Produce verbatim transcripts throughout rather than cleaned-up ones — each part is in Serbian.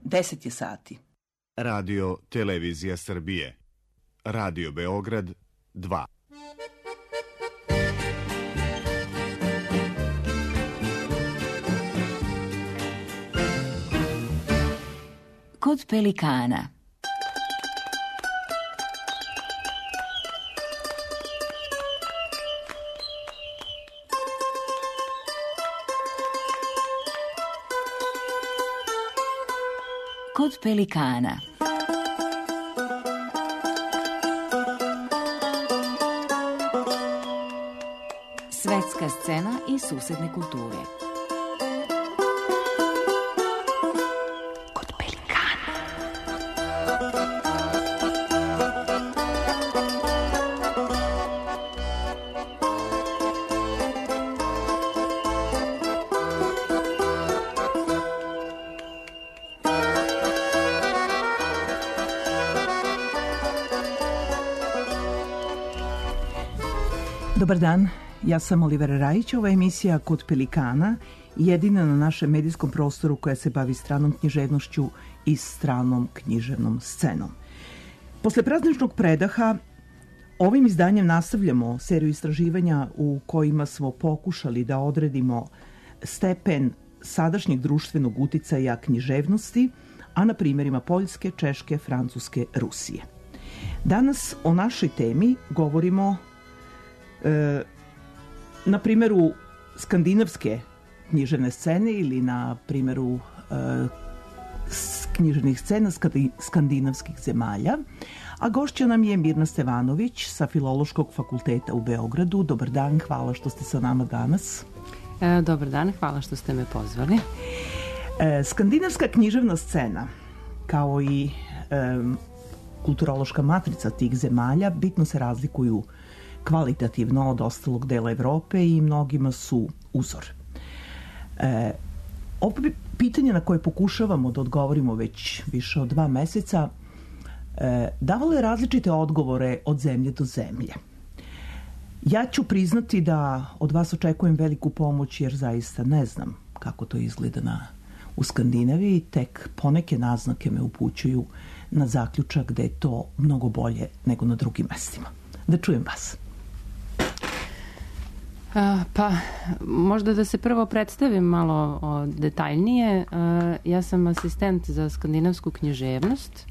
deset je sati. Radio Televizija Srbije. Radio Beograd dva. Kod pelikana. Kod pelikana. Svetska scena i susedne kulture. Kod pelikana. Dobar dan, ja sam Olivera Rajić, ova emisija Kod pelikana, jedina na našem medijskom prostoru koja se bavi stranom književnošću i stranom književnom scenom. Posle prazničnog predaha, ovim izdanjem nastavljamo seriju istraživanja u kojima smo pokušali da odredimo stepen sadašnjeg društvenog uticaja književnosti, a na primjerima Poljske, Češke, Francuske, Rusije. Danas o našoj temi govorimo E, na primjeru skandinavske književne scene ili na primjeru e, književnih scena skandinavskih zemalja, a gošća nam je Mirna Stevanović sa Filološkog fakulteta u Beogradu. Dobar dan, hvala što ste sa nama danas. E, dobar dan, hvala što ste me pozvali. E, skandinavska književna scena, kao i e, kulturološka matrica tih zemalja, bitno se razlikuju kvalitativno od ostalog dela Evrope i mnogima su uzor. E, ovo pitanje na koje pokušavamo da odgovorimo već više od dva meseca e, davalo je različite odgovore od zemlje do zemlje. Ja ću priznati da od vas očekujem veliku pomoć jer zaista ne znam kako to izgleda na, u Skandinaviji, tek poneke naznake me upućuju na zaključak da je to mnogo bolje nego na drugim mestima. Da čujem vas. Pa, možda da se prvo predstavim malo o, detaljnije. Ja sam asistent za skandinavsku književnost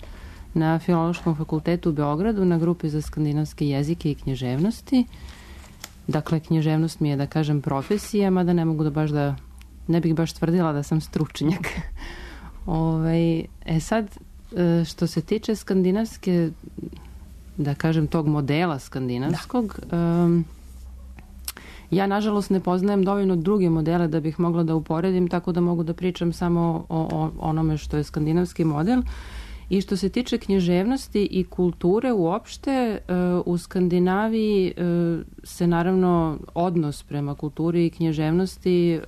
na Filološkom fakultetu u Beogradu na grupi za skandinavske jezike i književnosti. Dakle, književnost mi je, da kažem, profesija, mada ne mogu da baš da, ne bih baš tvrdila da sam stručnjak. Ove, e sad, što se tiče skandinavske, da kažem, tog modela skandinavskog, da. Um, ja, nažalost, ne poznajem dovoljno druge modele da bih mogla da uporedim, tako da mogu da pričam samo o, o onome što je skandinavski model. I što se tiče književnosti i kulture uopšte, u Skandinaviji se naravno odnos prema kulturi i književnosti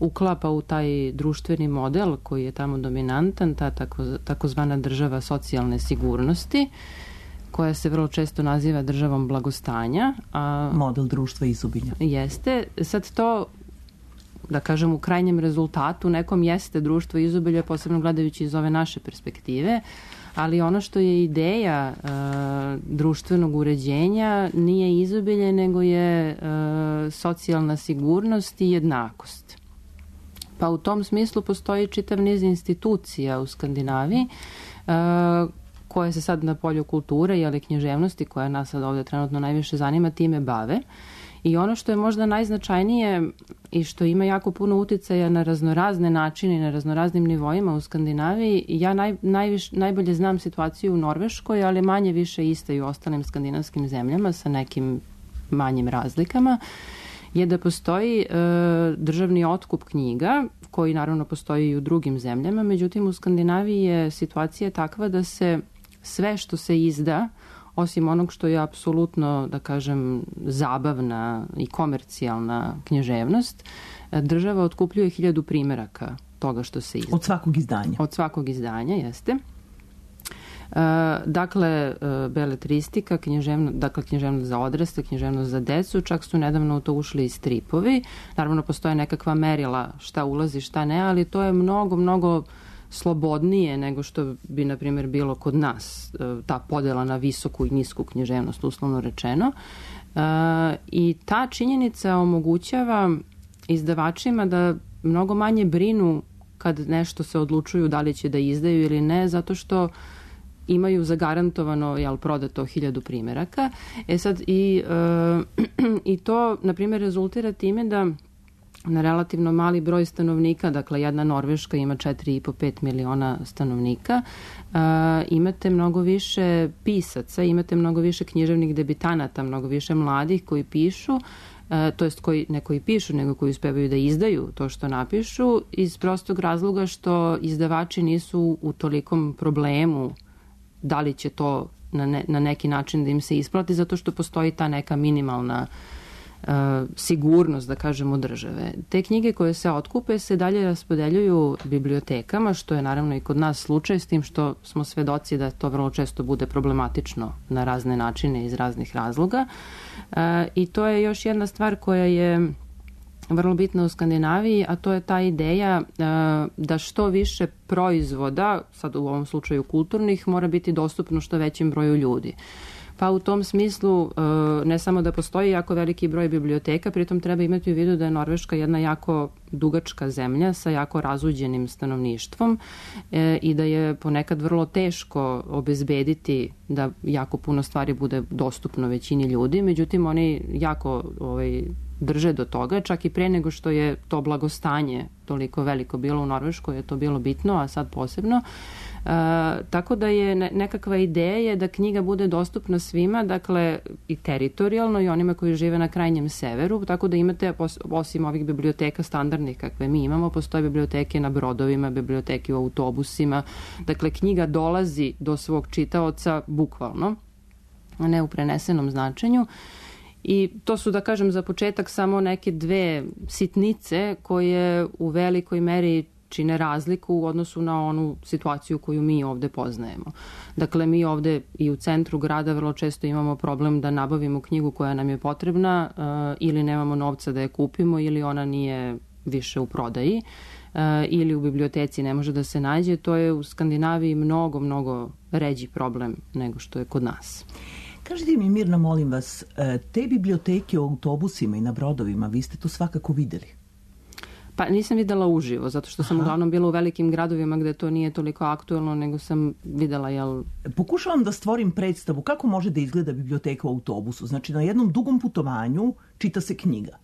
uklapa u taj društveni model koji je tamo dominantan, ta tako, takozvana država socijalne sigurnosti, koja se vrlo često naziva državom blagostanja. A, model društva izobilja. Jeste. Sad to, da kažem, u krajnjem rezultatu nekom jeste društvo izobilja, posebno gledajući iz ove naše perspektive, ali ono što je ideja uh, društvenog uređenja nije izobilje, nego je uh, socijalna sigurnost i jednakost. Pa u tom smislu postoji čitav niz institucija u Skandinaviji uh, koje se sad na polju kulture ili književnosti, koja nas sad ovdje trenutno najviše zanima, time bave. I ono što je možda najznačajnije i što ima jako puno uticaja na raznorazne načine i na raznoraznim nivoima u Skandinaviji, ja naj, najviš, najbolje znam situaciju u Norveškoj, ali manje više iste i u ostalim skandinavskim zemljama sa nekim manjim razlikama, je da postoji e, državni otkup knjiga, koji naravno postoji i u drugim zemljama, međutim u Skandinaviji je situacija takva da se sve što se izda, osim onog što je apsolutno, da kažem, zabavna i komercijalna književnost, država otkupljuje hiljadu primeraka toga što se izda. Od svakog izdanja? Od svakog izdanja, jeste. Uh, dakle, uh, beletristika, književno, dakle književnost za odrasle, književnost za decu, čak su nedavno u to ušli i stripovi. Naravno, postoje nekakva merila šta ulazi, šta ne, ali to je mnogo, mnogo slobodnije nego što bi, na primjer, bilo kod nas, ta podela na visoku i nisku književnost, uslovno rečeno. I ta činjenica omogućava izdavačima da mnogo manje brinu kad nešto se odlučuju da li će da izdaju ili ne, zato što imaju zagarantovano, jel, prodato hiljadu primjeraka. E sad, i, e, i to, na primjer, rezultira time da na relativno mali broj stanovnika, dakle jedna Norveška ima četiri i po do pet miliona stanovnika, uh, imate mnogo više pisaca, imate mnogo više književnih debitanata, mnogo više mladih koji pišu, uh, to jest koji, ne koji pišu, nego koji uspevaju da izdaju to što napišu, iz prostog razloga što izdavači nisu u tolikom problemu da li će to na, ne, na neki način da im se isplati, zato što postoji ta neka minimalna Uh, sigurnost, da kažemo, države. Te knjige koje se otkupe se dalje raspodeljuju bibliotekama, što je naravno i kod nas slučaj, s tim što smo svedoci da to vrlo često bude problematično na razne načine iz raznih razloga. Uh, I to je još jedna stvar koja je vrlo bitna u Skandinaviji, a to je ta ideja uh, da što više proizvoda, sad u ovom slučaju kulturnih, mora biti dostupno što većem broju ljudi. Pa u tom smislu ne samo da postoji jako veliki broj biblioteka, pritom treba imati u vidu da je Norveška jedna jako dugačka zemlja sa jako razuđenim stanovništvom i da je ponekad vrlo teško obezbediti da jako puno stvari bude dostupno većini ljudi. Međutim, oni jako ovaj, drže do toga, čak i pre nego što je to blagostanje toliko veliko bilo u Norveškoj, je to bilo bitno, a sad posebno. Uh, tako da je nekakva ideja je da knjiga bude dostupna svima, dakle i teritorijalno i onima koji žive na krajnjem severu, tako da imate, osim ovih biblioteka standardnih kakve mi imamo, postoje biblioteke na brodovima, biblioteke u autobusima, dakle knjiga dolazi do svog čitaoca bukvalno, a ne u prenesenom značenju. I to su, da kažem, za početak samo neke dve sitnice koje u velikoj meri čine razliku u odnosu na onu situaciju koju mi ovde poznajemo. Dakle, mi ovde i u centru grada vrlo često imamo problem da nabavimo knjigu koja nam je potrebna uh, ili nemamo novca da je kupimo ili ona nije više u prodaji uh, ili u biblioteci ne može da se nađe. To je u Skandinaviji mnogo, mnogo ređi problem nego što je kod nas. Kažite mi, Mirna, molim vas, te biblioteke u autobusima i na brodovima, vi ste to svakako videli? Pa nisam videla uživo, zato što sam Aha. uglavnom bila u velikim gradovima gde to nije toliko aktuelno, nego sam videla, jel... Pokušavam da stvorim predstavu kako može da izgleda biblioteka u autobusu. Znači, na jednom dugom putovanju čita se knjiga.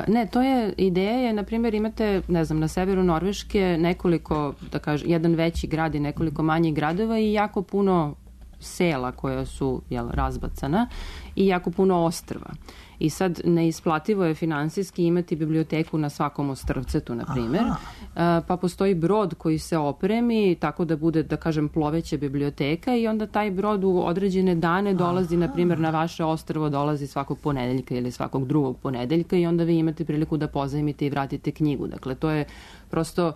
Ne, to je, ideja je, na primjer, imate, ne znam, na severu Norveške nekoliko, da kažem, jedan veći grad i nekoliko manjih gradova i jako puno sela koja su, jel, razbacana i jako puno ostrva. I sad neisplativo je finansijski imati biblioteku na svakom ostrvcetu, na primjer. Aha. Pa postoji brod koji se opremi tako da bude, da kažem, ploveća biblioteka i onda taj brod u određene dane dolazi, Aha. na primjer, na vaše ostrvo dolazi svakog ponedeljka ili svakog drugog ponedeljka i onda vi imate priliku da pozajmite i vratite knjigu. Dakle, to je prosto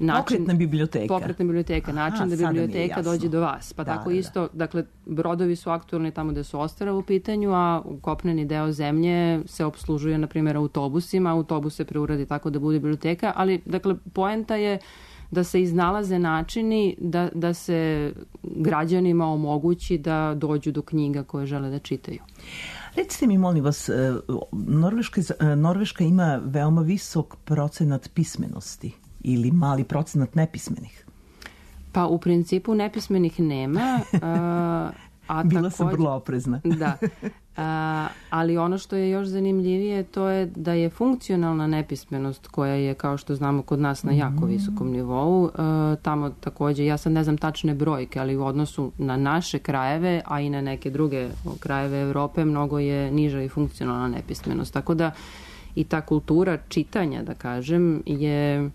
način, pokretna biblioteka. Pokretna biblioteka, način Aha, da biblioteka dođe do vas. Pa da, tako da, isto, da. dakle, brodovi su aktualni tamo gde su ostrva u pitanju, a kopneni deo zemlje se opslužuje, na primjer, autobusima. Autobus se preuradi tako da bude biblioteka, ali, dakle, poenta je da se iznalaze načini da, da se građanima omogući da dođu do knjiga koje žele da čitaju. Recite mi, molim vas, Norveška, Norveška ima veoma visok procenat pismenosti ili mali procenat nepismenih? Pa u principu nepismenih nema. A, a Bila takođe, sam vrlo oprezna. Da. A, ali ono što je još zanimljivije to je da je funkcionalna nepismenost koja je, kao što znamo, kod nas na jako visokom nivou. A, tamo takođe, ja sad ne znam tačne brojke, ali u odnosu na naše krajeve, a i na neke druge krajeve Evrope, mnogo je niža i funkcionalna nepismenost. Tako da i ta kultura čitanja, da kažem, je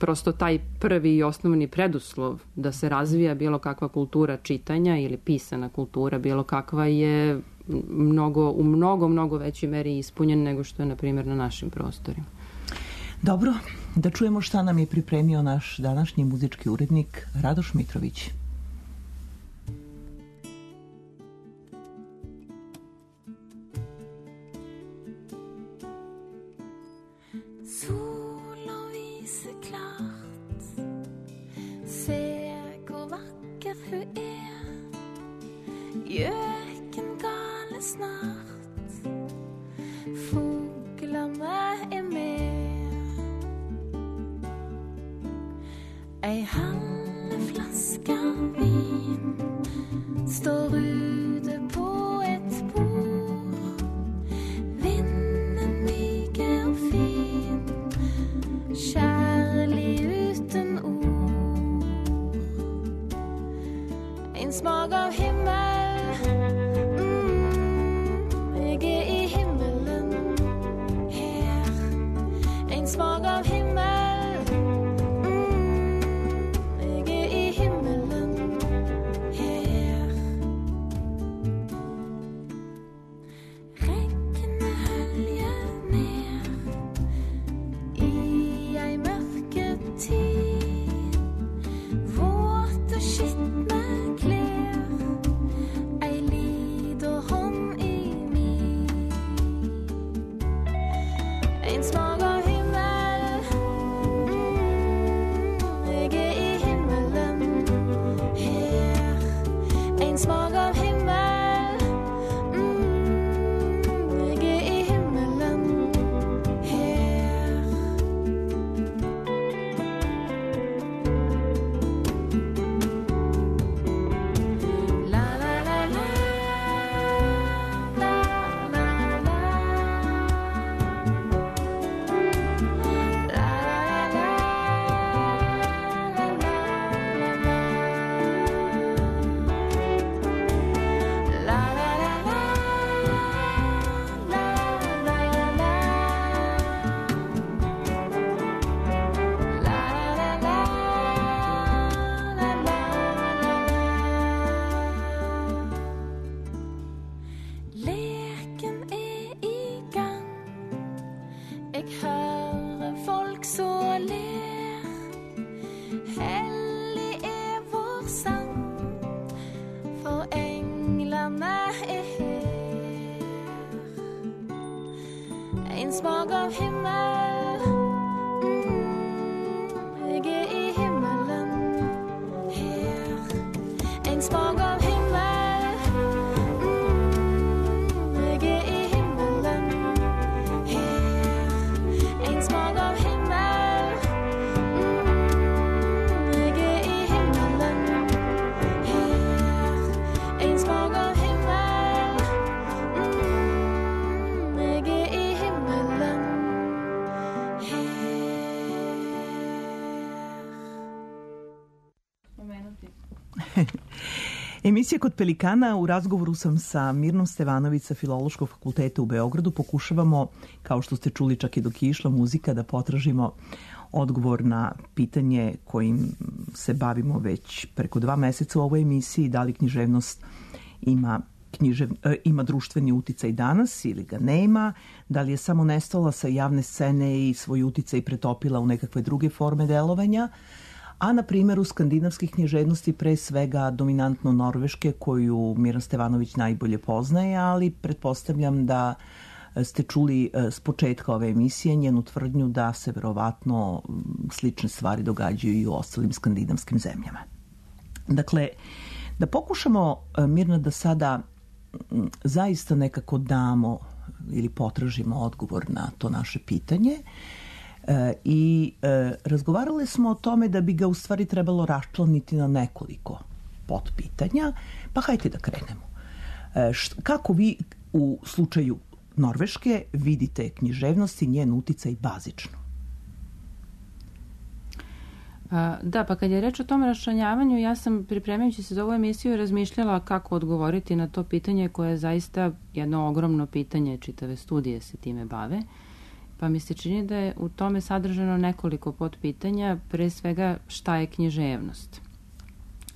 prosto taj prvi i osnovni preduslov da se razvija bilo kakva kultura čitanja ili pisana kultura, bilo kakva je mnogo, u mnogo, mnogo većoj meri ispunjen nego što je, na primjer, na našim prostorima. Dobro, da čujemo šta nam je pripremio naš današnji muzički urednik Radoš Mitrović. Sol og viser klart Göken gale snart, fåglarna är med. Ei halv flaska vin står ute på ett bord. Vinden myger fin, kärlig uten ord. En smak av himmel, mm, jag är i himmelen här. En smak av himmel, mm, jag är i himmelen här. Regnet höljer ner i ei mørketid. Våt og skitne klær, ei liten hånd i min. En smak av himmel, mm, jeg er i himmelen her. En smak av himmel, mm, jeg er i himmelen her. La la la la, la la la. La la la, la la la. La la la la, la la la. La la la la, la la la. Leken er i gang. Jeg hører folk så ler. Hellig er vår sang, for englene er her. En smak av himmel, mm, jeg er i himmelen her. En smak av himmel, mm, jeg er i himmelen her. En smak av himmel, mm, jeg er i himmelen her. En smak av himmel, mm, jeg er i himmelen her. Emisija Kod Pelikana. U razgovoru sam sa Mirnom Stevanović sa Filološkog fakulteta u Beogradu. Pokušavamo, kao što ste čuli čak i dok je išla muzika, da potražimo odgovor na pitanje kojim se bavimo već preko dva meseca u ovoj emisiji, da li književnost ima, književ, e, ima društveni uticaj danas ili ga nema, da li je samo nestala sa javne scene i svoj uticaj pretopila u nekakve druge forme delovanja, a na primjeru skandinavskih književnosti, pre svega dominantno norveške, koju Miran Stevanović najbolje poznaje, ali pretpostavljam da ste čuli s početka ove emisije njenu tvrdnju da se verovatno slične stvari događaju i u ostalim skandinavskim zemljama. Dakle, da pokušamo, Mirna, da sada zaista nekako damo ili potražimo odgovor na to naše pitanje. E, I e, razgovarali smo o tome da bi ga u stvari trebalo raščlaniti na nekoliko potpitanja, pa hajde da krenemo. E, št, kako vi u slučaju Norveške vidite književnost i njen uticaj bazično? Da, pa kad je reč o tom raščlanjavanju, ja sam pripremajući se za ovu emisiju razmišljala kako odgovoriti na to pitanje koje je zaista jedno ogromno pitanje, čitave studije se time bave. Pa mi se čini da je u tome sadržano nekoliko podpitanja, pre svega šta je književnost.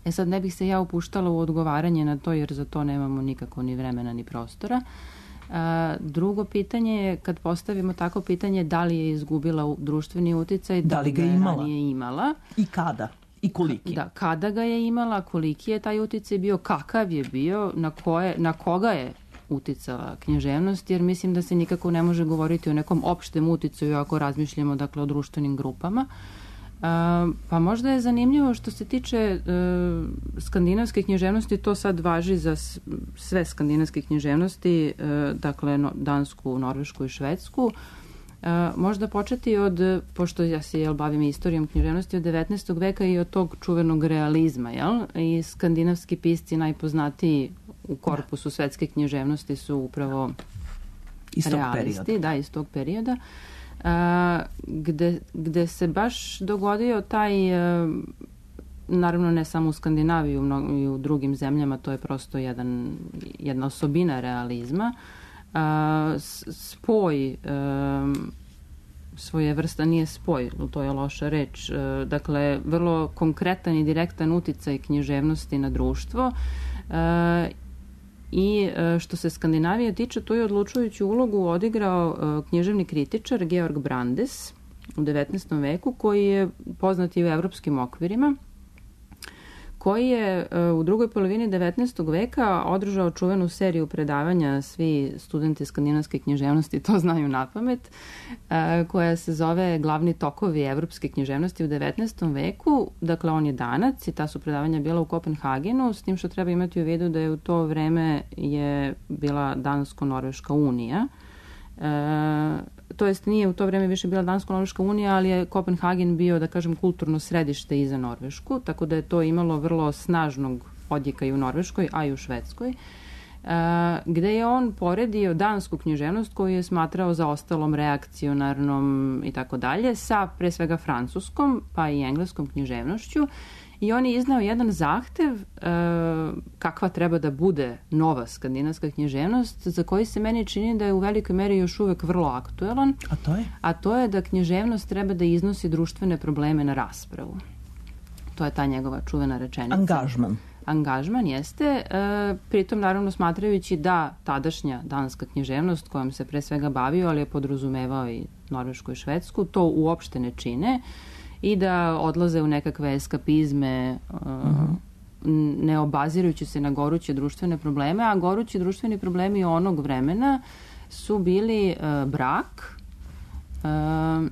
E sad ne bih se ja upuštala u odgovaranje na to jer za to nemamo nikako ni vremena ni prostora. A, drugo pitanje je kad postavimo tako pitanje da li je izgubila društveni uticaj, da, da li ga je imala? Ranije imala. I kada? I koliki? Da, kada ga je imala, koliki je taj uticaj bio, kakav je bio, na, koje, na koga je uticala književnost, jer mislim da se nikako ne može govoriti o nekom opštem uticaju ako razmišljamo dakle o društvenim grupama. Pa možda je zanimljivo što se tiče uh, skandinavske književnosti, to sad važi za sve skandinavske književnosti, uh, dakle no, Dansku, Norvešku i Švedsku. Uh, možda početi od, pošto ja se jel, bavim istorijom književnosti, od devetnaestog veka i od tog čuvenog realizma, jel? I skandinavski pisci najpoznatiji u korpusu svetske književnosti su upravo iz tog realisti, perioda. da, iz tog perioda. A, gde, gde se baš dogodio taj, a, naravno ne samo u Skandinaviji, u mno, i u drugim zemljama, to je prosto jedan, jedna osobina realizma, a, spoj a, svoje vrsta, nije spoj, to je loša reč, a, dakle vrlo konkretan i direktan uticaj književnosti na društvo. A, I što se Skandinavije tiče, tu je odlučujuću ulogu odigrao književni kritičar Georg Brandes u devetnaestom veku, koji je poznat i u evropskim okvirima, koji je u drugoj polovini devetnaestog veka održao čuvenu seriju predavanja, svi studenti skandinavske književnosti to znaju napamet, koja se zove Glavni tokovi evropske književnosti u devetnaestom veku. Dakle, on je Danac i ta su predavanja bila u Kopenhagenu, s tim što treba imati u vidu da je u to vreme je bila Dansko-Norveška unija. E, to jest nije u to vreme više bila Dansko-Norveška unija, ali je Kopenhagen bio, da kažem, kulturno središte i za Norvešku, tako da je to imalo vrlo snažnog odjeka i u Norveškoj, a i u Švedskoj, e, gde je on poredio dansku književnost koju je smatrao zaostalom, reakcionarnom i tako dalje, sa pre svega francuskom, pa i engleskom književnošću. I on je iznao jedan zahtev e, kakva treba da bude nova skandinavska književnost, za koji se meni čini da je u velikoj meri još uvek vrlo aktuelan. A to je? A to je da književnost treba da iznosi društvene probleme na raspravu. To je ta njegova čuvena rečenica. Angažman. Angažman jeste, e, pritom naravno smatrajući da tadašnja danska književnost kojom se pre svega bavio, ali je podrazumevao i Norvešku i Švedsku, to uopšte ne čine, i da odlaze u nekakve eskapizme, uh, ne obazirujući se na goruće društvene probleme, a gorući društveni problemi onog vremena su bili uh, brak, uh,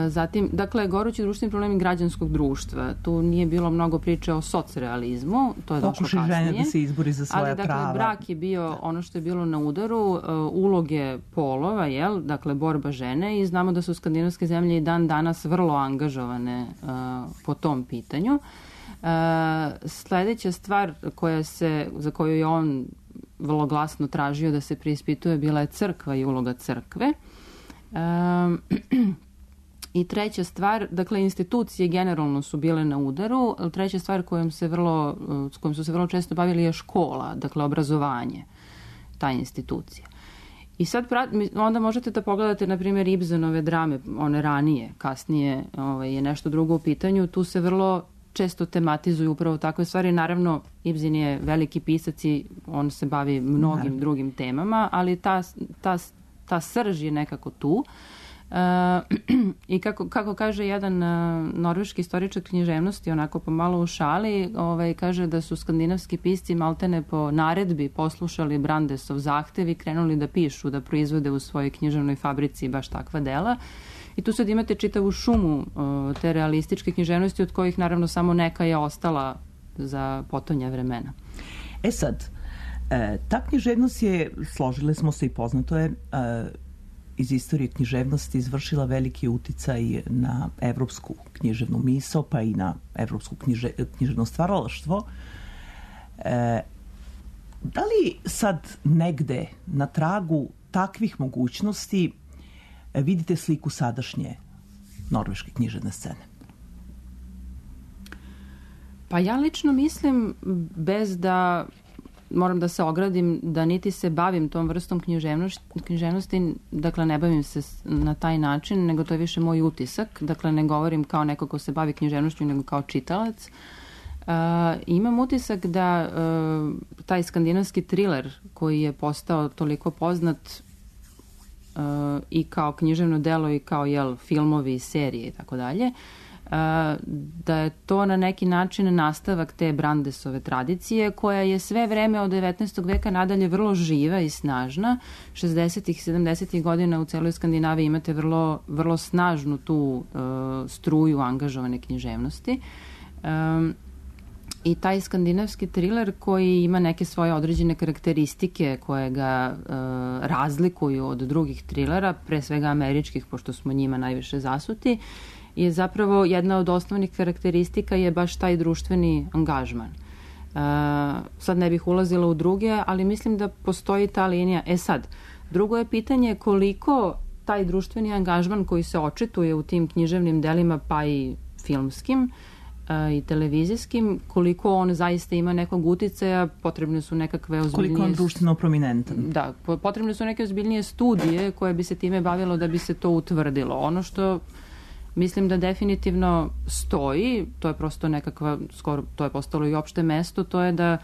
zatim, dakle, gorući društveni problemi građanskog društva. Tu nije bilo mnogo priče o socrealizmu, to je došlo kasnije. Pokušaj žene da se izbori za svoja ali, dakle, prava. brak je bio ono što je bilo na udaru, uh, uloge polova, jel? Dakle, borba žene, i znamo da su skandinavske zemlje i dan danas vrlo angažovane uh, po tom pitanju. Uh, sledeća stvar koja se, za koju je on vrlo glasno tražio da se preispituje bila je crkva i uloga crkve. Uh, I treća stvar, dakle, institucije generalno su bile na udaru, ali treća stvar kojom se vrlo, s kojom su se vrlo često bavili je škola, dakle, obrazovanje, ta institucija. I sad onda možete da pogledate, na primjer, Ibsenove drame, one ranije, kasnije ovaj, je nešto drugo u pitanju, tu se vrlo često tematizuju upravo takve stvari. Naravno, Ibsen je veliki pisac i on se bavi mnogim Naravno. drugim temama, ali ta, ta, ta srž je nekako tu. Uh, i kako, kako kaže jedan uh, norveški istoričar književnosti, onako pomalo u šali, ovaj, kaže da su skandinavski pisci maltene po naredbi poslušali Brandesov zahtev i krenuli da pišu, da proizvode u svojoj književnoj fabrici baš takva dela. I tu sad imate čitavu šumu uh, te realističke književnosti, od kojih naravno samo neka je ostala za potonja vremena. E sad, e, ta književnost je, složile smo se i poznato je, e, iz istorije književnosti izvršila veliki uticaj na evropsku književnu misao, pa i na evropsku knjiže, književno stvaralaštvo. E, da li sad negde na tragu takvih mogućnosti vidite sliku sadašnje norveške književne scene? Pa ja lično mislim, bez da moram da se ogradim, da niti se bavim tom vrstom književnosti, dakle ne bavim se na taj način, nego to je više moj utisak, dakle ne govorim kao neko ko se bavi književnošću, nego kao čitalac. Uh, imam utisak da uh, taj skandinavski thriller koji je postao toliko poznat uh, i kao književno delo i kao jel, filmovi, serije i tako dalje, da je to na neki način nastavak te Brandesove tradicije koja je sve vreme od devetnaestog veka nadalje vrlo živa i snažna. šezdesetih i sedamdesetih godina u celoj Skandinaviji imate vrlo, vrlo snažnu tu uh, struju angažovane književnosti. Um, I taj skandinavski thriller koji ima neke svoje određene karakteristike koje ga uh, razlikuju od drugih trilera, pre svega američkih, pošto smo njima najviše zasuti, je zapravo jedna od osnovnih karakteristika je baš taj društveni angažman. Uh, sad ne bih ulazila u druge, ali mislim da postoji ta linija. E sad, drugo je pitanje koliko taj društveni angažman koji se očituje u tim književnim delima, pa i filmskim uh, i televizijskim, koliko on zaista ima nekog uticaja, potrebne su nekakve ozbiljnije... Koliko on društveno prominentan. Da, potrebne su neke ozbiljnije studije koje bi se time bavilo da bi se to utvrdilo. Ono što mislim da definitivno stoji, to je prosto nekakva, skoro to je postalo i opšte mesto, to je da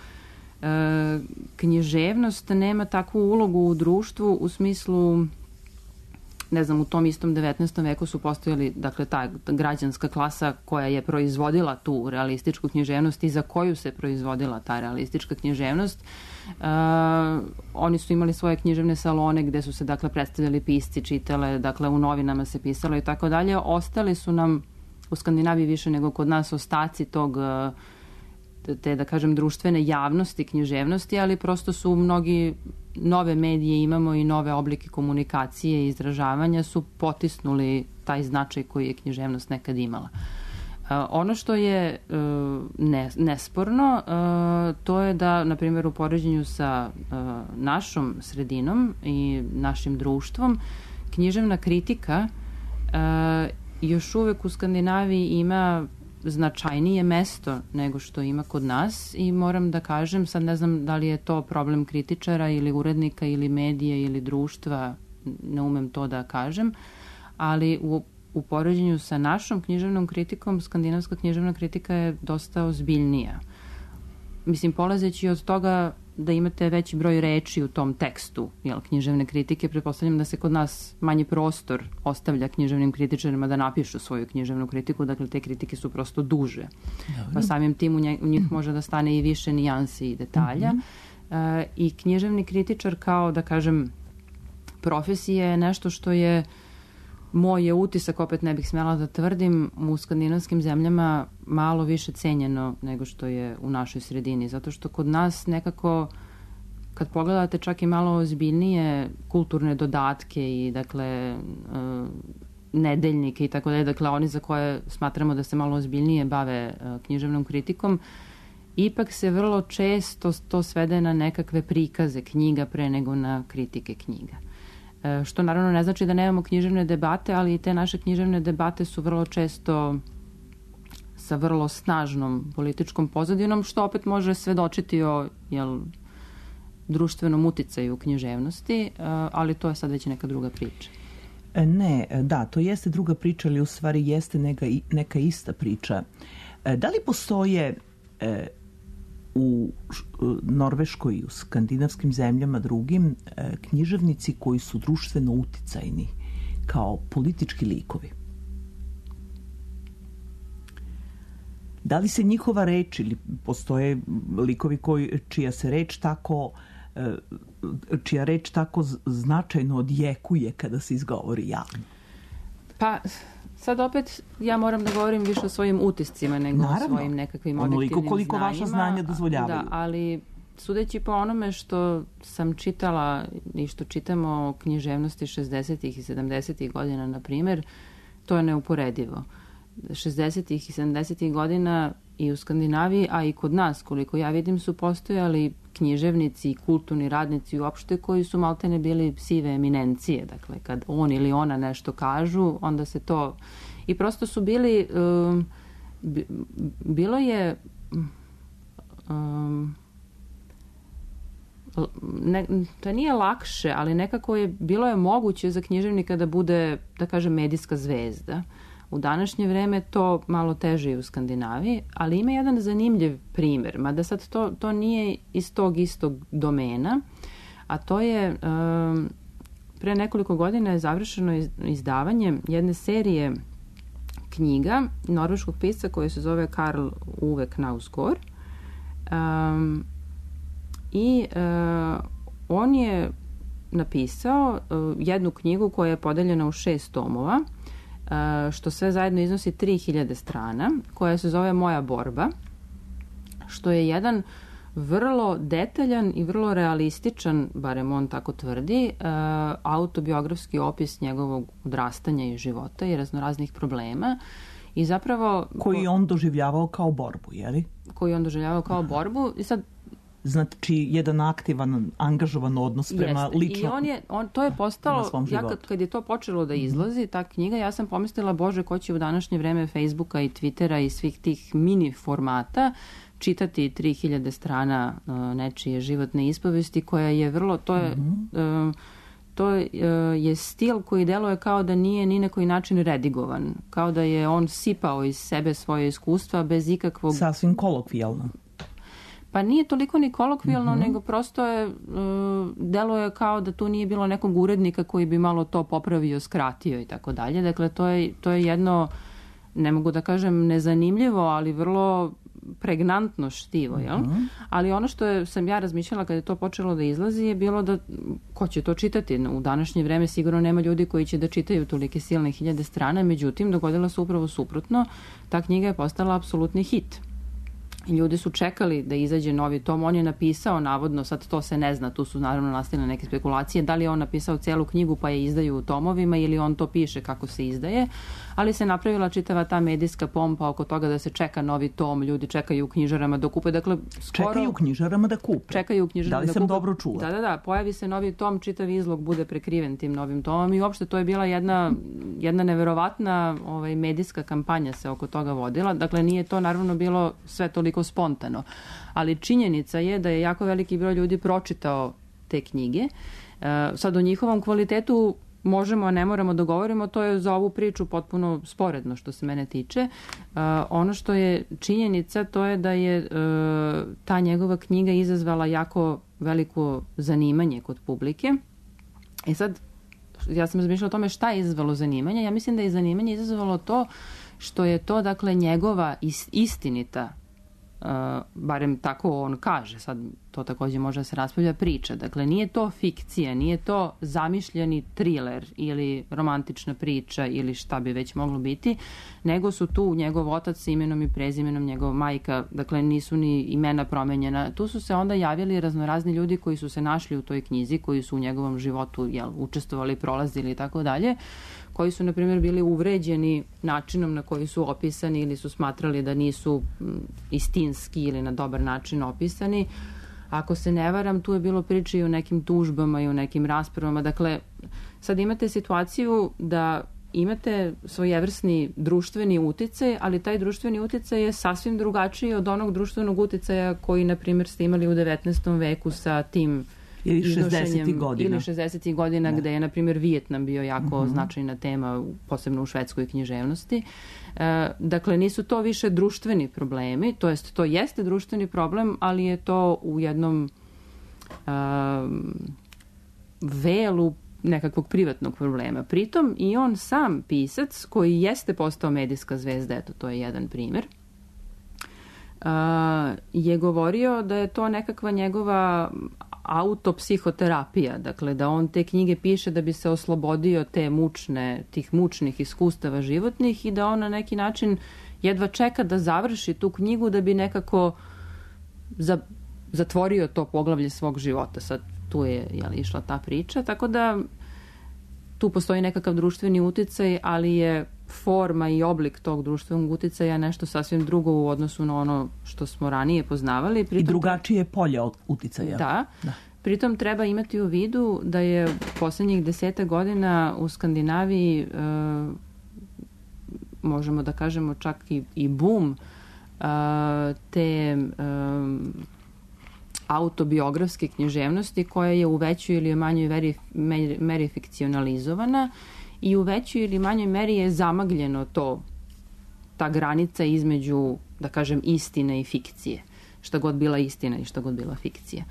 e, književnost nema takvu ulogu u društvu u smislu, ne znam, u tom istom devetnaestom veku su postojali, dakle, ta građanska klasa koja je proizvodila tu realističku književnost i za koju se proizvodila ta realistička književnost. Uh, oni su imali svoje književne salone gde su se, dakle, predstavljali pisci, čitale, dakle, u novinama se pisalo i tako dalje. Ostali su nam u Skandinaviji više nego kod nas ostaci tog, te, da kažem, društvene javnosti, književnosti, ali prosto su mnogi nove medije imamo i nove oblike komunikacije i izražavanja su potisnuli taj značaj koji je književnost nekad imala. Uh, ono što je uh, ne, nesporno, uh, to je da, na primjer, u poređenju sa uh, našom sredinom i našim društvom, književna kritika uh, još uvek u Skandinaviji ima značajnije mesto nego što ima kod nas i moram da kažem, sad ne znam da li je to problem kritičara ili urednika ili medija ili društva, ne umem to da kažem, ali u U poređenju sa našom književnom kritikom, skandinavska književna kritika je dosta ozbiljnija. Mislim, polazeći od toga da imate veći broj reči u tom tekstu, jel, književne kritike, pretpostavljam da se kod nas manji prostor ostavlja književnim kritičarima da napišu svoju književnu kritiku, dakle te kritike su prosto duže. Dobre. Pa samim tim u, nje, u njih može da stane i više nijansi i detalja. Mm-hmm. E, I književni kritičar kao, da kažem, profesija je nešto što je moj je utisak, opet ne bih smela da tvrdim, u skandinavskim zemljama malo više cenjeno nego što je u našoj sredini. Zato što kod nas nekako, kad pogledate čak i malo ozbiljnije kulturne dodatke i, dakle, uh, nedeljnike i tako dalje, dakle, oni za koje smatramo da se malo ozbiljnije bave uh, književnom kritikom, ipak se vrlo često to svede na nekakve prikaze knjiga pre nego na kritike knjiga. Što naravno ne znači da nemamo književne debate, ali i te naše književne debate su vrlo često sa vrlo snažnom političkom pozadinom, što opet može svedočiti o, jel, društvenom uticaju u književnosti, ali to je sad već neka druga priča. Ne, da, to jeste druga priča, ali u stvari jeste neka, neka ista priča. Da li postoje e, u Norveškoj i u skandinavskim zemljama drugim književnici koji su društveno uticajni kao politički likovi? Da li se njihova reč ili postoje likovi koji, čija se reč tako čija reč tako značajno odjekuje kada se izgovori javno? Pa sad opet ja moram da govorim više o svojim utiscima nego Naravno. o svojim nekakvim objektivnim Onoliko koliko znanjima. vaša znanja dozvoljavaju. Da, ali sudeći po onome što sam čitala i što čitamo o književnosti šezdesetih i sedamdesetih godina, na primjer, to je neuporedivo. šezdesetih i sedamdesetih godina i u Skandinaviji, a i kod nas, koliko ja vidim, su postojali književnici i kulturni radnici uopšte koji su maltene bili sive eminencije. Dakle, kad on ili ona nešto kažu, onda se to... I prosto su bili... Um, bilo je... Um, ne, to nije lakše, ali nekako je bilo je moguće za književnika da bude, da kažem, medijska zvezda. U današnje vreme to malo teže i u Skandinaviji, ali ima jedan zanimljiv primjer, mada sad to, to nije iz tog istog domena, a to je um, pre nekoliko godina je završeno izdavanje jedne serije knjiga norveškog pisca koji se zove Karl Ove Knausgård. Um, I uh, on je napisao uh, jednu knjigu koja je podeljena u šest tomova, uh, što sve zajedno iznosi tri hiljade strana, koja se zove Moja borba, što je jedan vrlo detaljan i vrlo realističan, barem on tako tvrdi, uh, autobiografski opis njegovog odrastanja i života i raznoraznih problema. I zapravo... Koji on doživljavao kao borbu, je li? Koji on doživljavao kao borbu. I sad... Znači, jedan aktivan, angažovan odnos prema Jeste. lično... I on je, on, to je postalo, ja kad, kad je to počelo da izlazi, ta knjiga, ja sam pomislila, Bože, ko će u današnje vreme Facebooka i Twittera i svih tih mini formata čitati tri hiljade strana uh, nečije životne ispovesti, koja je vrlo, to je... Mm-hmm. Uh, to uh, je stil koji deluje kao da nije ni na koji način redigovan, kao da je on sipao iz sebe svoje iskustva bez ikakvog... Sasvim kolokvijalno. Pa nije toliko ni kolokvijalno, Mm-hmm. nego prosto je, uh, deluje kao da tu nije bilo nekog urednika koji bi malo to popravio, skratio i tako dalje. Dakle, to je, to je jedno, ne mogu da kažem nezanimljivo, ali vrlo pregnantno štivo, jel? Mm-hmm. Ali ono što je, sam ja razmišljala kada je to počelo da izlazi je bilo da, ko će to čitati? U današnje vreme sigurno nema ljudi koji će da čitaju tolike silne hiljade strana, međutim, dogodilo se upravo suprotno. Ta knjiga je postala apsolutni hit. I ljudi su čekali da izađe novi tom. On je napisao, navodno, sad to se ne zna, tu su naravno nastale neke spekulacije, da li je on napisao celu knjigu pa je izdaju u tomovima ili on to piše kako se izdaje, ali se napravila čitava ta medijska pompa oko toga da se čeka novi tom, ljudi čekaju u knjižarama da kupe, dakle skoro... Čekaju u knjižarama da kupe. Čekaju u knjižarama da, da li sam kupe. dobro čula? Da, da, da, pojavi se novi tom, čitav izlog bude prekriven tim novim tomom i uopšte to je bila jedna, jedna neverovatna ovaj, medijska kampanja se oko toga vodila, dakle nije to naravno bilo sve toliko spontano, ali činjenica je da je jako veliki broj ljudi pročitao te knjige. E, sad o njihovom kvalitetu možemo, a ne moramo da govorimo, to je za ovu priču potpuno sporedno što se mene tiče. E, ono što je činjenica, to je da je e, ta njegova knjiga izazvala jako veliko zanimanje kod publike. E sad, ja sam razmišljala o tome šta je izazvalo zanimanje. Ja mislim da je zanimanje izazvalo to što je to, dakle, njegova istinita, Uh, barem tako on kaže, sad to takođe može da se raspravlja, priča. Dakle, nije to fikcija, nije to zamišljeni triler ili romantična priča ili šta bi već moglo biti, nego su tu njegov otac s imenom i prezimenom, njegov majka, dakle nisu ni imena promenjena. Tu su se onda javili raznorazni ljudi koji su se našli u toj knjizi, koji su u njegovom životu jel, učestvovali, prolazili i tako dalje, koji su, na primjer, bili uvređeni načinom na koji su opisani ili su smatrali da nisu istinski ili na dobar način opisani. Ako se ne varam, tu je bilo priče i o nekim tužbama i o nekim raspravama. Dakle, sad imate situaciju da imate svojevrsni društveni uticaj, ali taj društveni uticaj je sasvim drugačiji od onog društvenog uticaja koji, na primjer, ste imali u devetnaestom veku sa tim ili šezdesetih godina. Ili šezdesetih godina da. Gde je, na primjer, Vijetnam bio jako uh-huh. značajna tema, posebno u švedskoj književnosti. E, dakle, nisu to više društveni problemi, to jest to jeste društveni problem, ali je to u jednom a, velu nekakvog privatnog problema. Pritom i on sam pisac, koji jeste postao medijska zvezda, eto, to je jedan primjer, Uh, je govorio da je to nekakva njegova autopsihoterapija, dakle da on te knjige piše da bi se oslobodio te mučne, tih mučnih iskustava životnih i da on na neki način jedva čeka da završi tu knjigu da bi nekako za, zatvorio to poglavlje svog života. Sad tu je jel, išla ta priča, tako da tu postoji nekakav društveni uticaj, ali je forma i oblik tog društvenog uticaja nešto sasvim drugo u odnosu na ono što smo ranije poznavali. Pritom, I drugačije polje od uticaja. Da. da. Pritom treba imati u vidu da je poslednjih deseta godina u Skandinaviji e, možemo da kažemo čak i, i boom e, te e, autobiografske književnosti koja je u većoj ili manjoj meri, meri, meri fikcionalizovana i u većoj ili manjoj meri je zamagljeno to, ta granica između, da kažem, istine i fikcije. Šta god bila istina i šta god bila fikcija.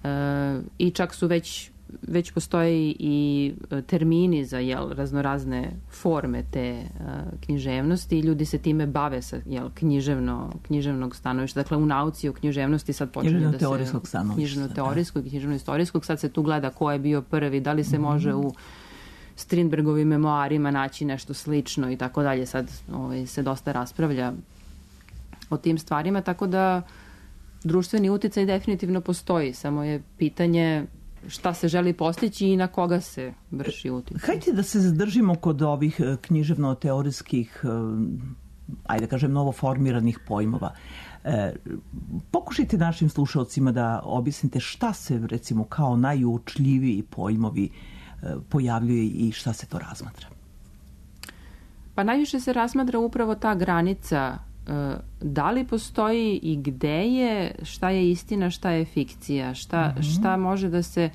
E, I čak su već već postoje i termini za jel, raznorazne forme te uh, književnosti i ljudi se time bave sa jel, književno, književnog stanovišta. Dakle, u nauci o književnosti sad počinje da se... Književno-teorijskog stanovišta. Književno-teorijskog i književno-istorijskog. Sad se tu gleda ko je bio prvi, da li se mm-hmm. može u Strindbergovim memoarima naći nešto slično i tako dalje. Sad ovaj, se dosta raspravlja o tim stvarima, tako da društveni uticaj definitivno postoji, samo je pitanje šta se želi postići i na koga se vrši uticaj. Hajde da se zadržimo kod ovih književno-teorijskih, ajde da kažem, novoformiranih pojmova. E, pokušajte našim slušalcima da objasnite šta se, recimo, kao najuočljiviji pojmovi e, pojavljuje i šta se to razmatra. Pa najviše se razmatra upravo ta granica da li postoji i gde je, šta je istina, šta je fikcija, šta, mm-hmm. šta može da se...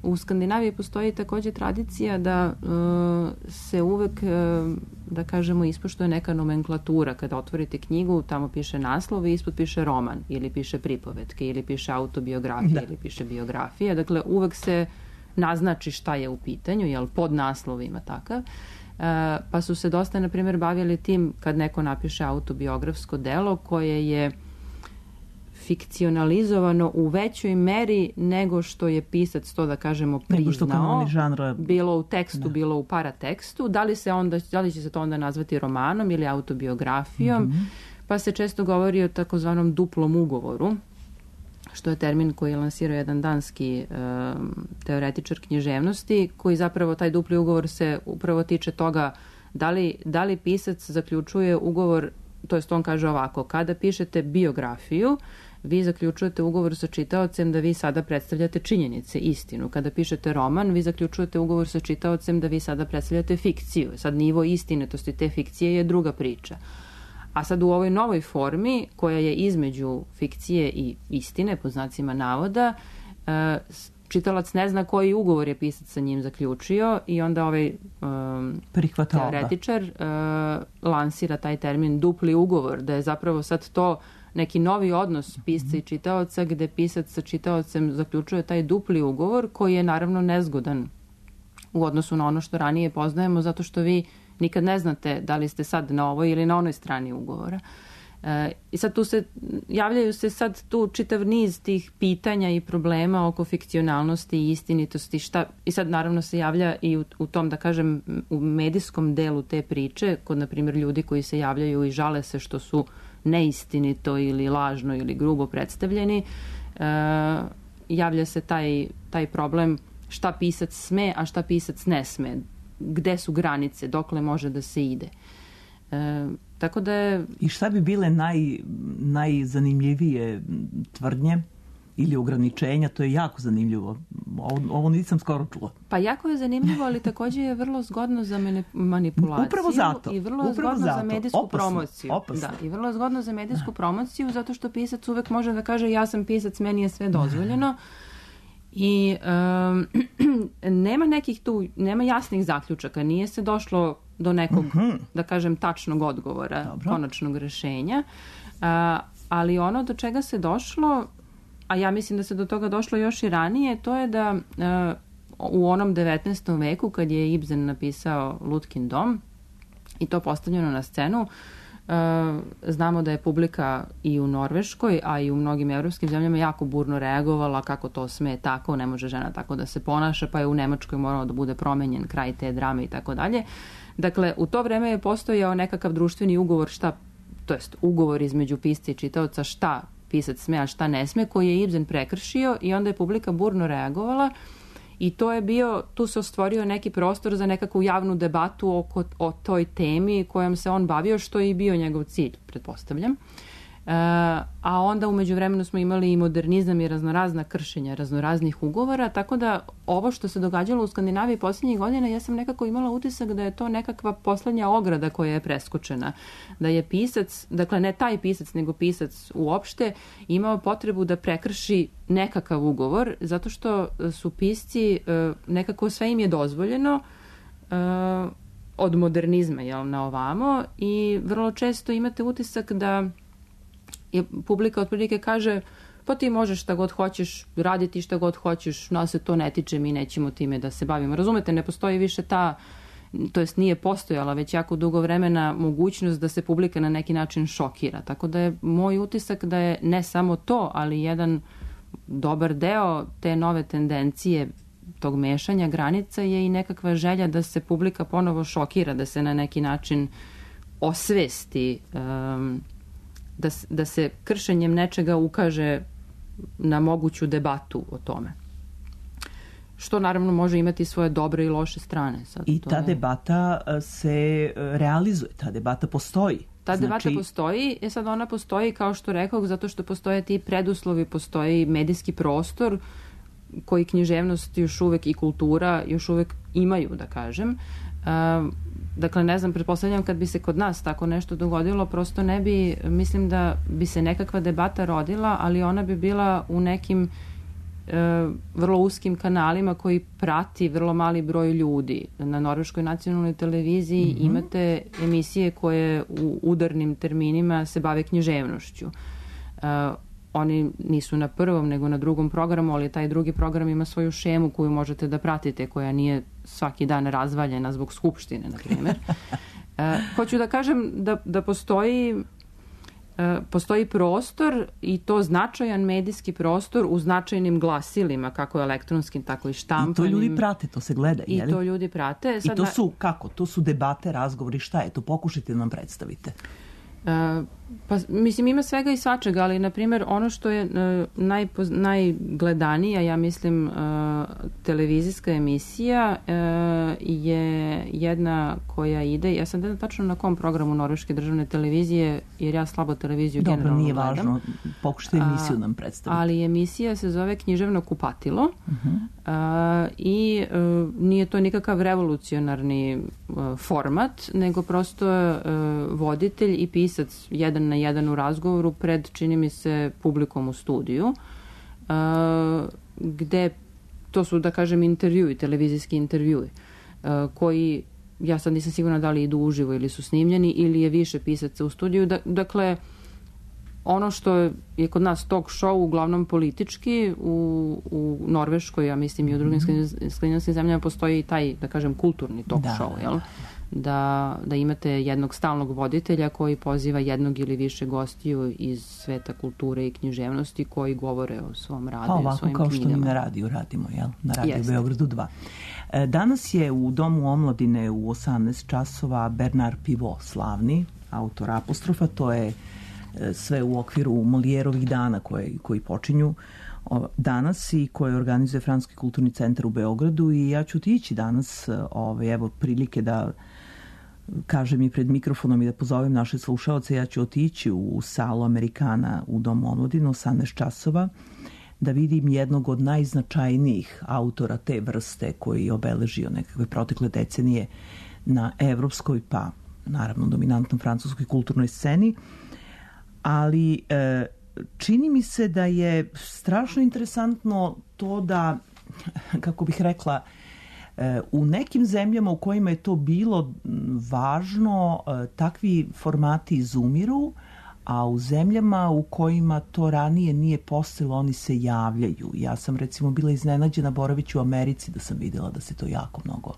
U Skandinaviji postoji također tradicija da uh, se uvek, uh, da kažemo, ispoštuje neka nomenklatura. Kada otvorite knjigu, tamo piše naslov i ispod piše roman, ili piše pripovetke, ili piše autobiografija, da. ili piše biografija. Dakle, uvek se naznači šta je u pitanju, jel, pod naslov ima takav. Uh, pa su se dosta, na primjer, bavili tim kad neko napiše autobiografsko delo koje je fikcionalizovano u većoj meri nego što je pisac to, da kažemo, priznao, žanra... bilo u tekstu, da. bilo u paratekstu. Da li, se onda, da li će se to onda nazvati romanom ili autobiografijom? Mm-hmm. Pa se često govori o takozvanom duplom ugovoru, što je termin koji je lansirao jedan danski um, teoretičar književnosti, koji zapravo taj dupli ugovor se upravo tiče toga da li, da li pisac zaključuje ugovor, to jest on kaže ovako, kada pišete biografiju, vi zaključujete ugovor sa čitaocem da vi sada predstavljate činjenice, istinu. Kada pišete roman, vi zaključujete ugovor sa čitaocem da vi sada predstavljate fikciju. Sad nivo istinitosti te fikcije je druga priča. A sad u ovoj novoj formi, koja je između fikcije i istine, po znacima navoda, čitalac ne zna koji ugovor je pisac sa njim zaključio i onda ovaj um, teoretičar uh, lansira taj termin dupli ugovor, da je zapravo sad to neki novi odnos pisca i čitaoca, gde pisac sa čitaocem zaključuje taj dupli ugovor, koji je naravno nezgodan u odnosu na ono što ranije poznajemo, zato što vi nikad ne znate da li ste sad na ovoj ili na onoj strani ugovora. E, I sad tu se, javljaju se sad tu čitav niz tih pitanja i problema oko fikcionalnosti i istinitosti. Šta, I sad naravno se javlja i u, u tom, da kažem, u medijskom delu te priče, kod, na primjer, ljudi koji se javljaju i žale se što su neistinito ili lažno ili grubo predstavljeni, e, javlja se taj, taj problem šta pisac sme, a šta pisac ne sme. Gde su granice, dokle može da se ide. E, tako da je... I šta bi bile naj, najzanimljivije tvrdnje ili ograničenja? To je jako zanimljivo. Ovo, ovo nisam skoro čula. Pa jako je zanimljivo, ali također je vrlo zgodno za manipulaciju. Upravo zato. I vrlo je zgodno zato. za medijsku opasno, promociju. Opasno. Da, i vrlo je zgodno za medijsku da. promociju, zato što pisac uvek može da kaže ja sam pisac, meni je sve dozvoljeno. I um, nema nekih tu, nema jasnih zaključaka, nije se došlo do nekog, uh-huh. da kažem, tačnog odgovora, Dobro. konačnog rešenja, uh, ali ono do čega se došlo, a ja mislim da se do toga došlo još i ranije, to je da uh, u onom devetnaestom veku, kad je Ibsen napisao Lutkin dom i to postavljeno na scenu, Uh, znamo da je publika i u Norveškoj, a i u mnogim evropskim zemljama jako burno reagovala, kako to sme tako, ne može žena tako da se ponaša, pa je u Nemačkoj morao da bude promenjen kraj te drame i tako dalje. Dakle, u to vreme je postojao nekakav društveni ugovor, šta, to jest ugovor između pisca i čitaoca, šta pisac sme, a šta ne sme, koji je Ibsen prekršio i onda je publika burno reagovala. I to je bio, tu se ostvorio neki prostor za nekakvu javnu debatu oko, o toj temi kojom se on bavio, što je i bio njegov cilj, pretpostavljam. E, a onda u međuvremenu smo imali i modernizam i raznorazna kršenja raznoraznih ugovora, tako da ovo što se događalo u Skandinaviji posljednjih godina, ja sam nekako imala utisak da je to nekakva poslednja ograda koja je preskočena. Da je pisac, dakle ne taj pisac, nego pisac uopšte, imao potrebu da prekrši nekakav ugovor, zato što su pisci, nekako sve im je dozvoljeno od modernizma, jel, na ovamo, i vrlo često imate utisak da je publika otprilike kaže pa ti možeš šta god hoćeš, raditi šta god hoćeš, nas se to ne tiče, mi nećemo time da se bavimo. Razumete, ne postoji više ta, to jest nije postojala već jako dugo vremena mogućnost da se publika na neki način šokira. Tako da je moj utisak da je ne samo to, ali jedan dobar deo te nove tendencije tog mešanja granica je i nekakva želja da se publika ponovo šokira, da se na neki način osvesti, um, da, da se kršenjem nečega ukaže na moguću debatu o tome. Što naravno može imati svoje dobre i loše strane. Sad, I to ta je... debata se realizuje, ta debata postoji. Ta debata Znači... postoji, je sad ona postoji, kao što rekao, zato što postoje ti preduslovi, postoji medijski prostor koji književnost još uvek i kultura još uvek imaju, da kažem. Uh, dakle, ne znam, pretpostavljam kad bi se kod nas tako nešto dogodilo, prosto ne bi, mislim da bi se nekakva debata rodila, ali ona bi bila u nekim uh, vrlo uskim kanalima koji prati vrlo mali broj ljudi. Na Norveškoj nacionalnoj televiziji mm-hmm. imate emisije koje u udarnim terminima se bave književnošću. Uh, Oni nisu na prvom, nego na drugom programu, ali taj drugi program ima svoju šemu koju možete da pratite, koja nije svaki dan razvaljena zbog skupštine, na primjer. e, hoću da kažem da, da postoji, e, postoji prostor i to značajan medijski prostor u značajnim glasilima, kako elektronskim, tako i štampanim. I to ljudi prate, to se gleda, I jeli? to ljudi prate. Sad I to su, kako? To su debate, razgovori, šta je to? Pokušajte da nam predstavite. Uh, pa, mislim, ima svega i svačega, ali, na primjer, ono što je uh, najpoz, najgledanija, ja mislim, uh, televizijska emisija uh, je jedna koja ide, ja sam ne znam tačno na kom programu Norveške državne televizije, jer ja slabo televiziju Dobro, generalno nije gledam. važno, pokušajte emisiju nam predstaviti. Ali emisija se zove Književno kupatilo uh-huh. uh, i uh, nije to nikakav revolucionarni uh, format, nego prosto uh, voditelj i pisac jedan na jedan u razgovoru pred, čini mi se, publikom u studiju, uh, gde to su, da kažem, intervjui, televizijski intervjui, uh, koji, ja sad nisam sigurna da li idu uživo ili su snimljeni, ili je više pisaca u studiju. Da, dakle, ono što je kod nas talk show, uglavnom politički, u, u Norveškoj, ja mislim i u drugim mm-hmm. skandinavskim zemljama postoji i taj, da kažem, kulturni talk da, show, jel? Da. Da, da imate jednog stalnog voditelja koji poziva jednog ili više gostiju iz sveta kulture i književnosti koji govore o svom radu, pa, o ovako, svojim kao knjigama. što mi na radiju radimo, jel? Na radiju Jest. Beogradu dva. Danas je u Domu omladine u osamnaest časova Bernard Pivot, slavni autor Apostrofa, to je sve u okviru Molijerovih dana koje, koji počinju danas i koje organizuje Francuski kulturni centar u Beogradu, i ja ću otići danas, ovaj, evo prilike da kažem i pred mikrofonom i da pozovem naše slušaoce, ja ću otići u salu Amerikana u Domu omladine osamnaest časova da vidim jednog od najznačajnijih autora te vrste koji je obeležio nekakve protekle decenije na evropskoj, pa naravno dominantnom francuskoj kulturnoj sceni, ali e, čini mi se da je strašno interesantno to da, kako bih rekla, u nekim zemljama u kojima je to bilo važno, takvi formati izumiru, a u zemljama u kojima to ranije nije postojalo, oni se javljaju. Ja sam recimo bila iznenađena boravići u Americi da sam videla da se to jako mnogo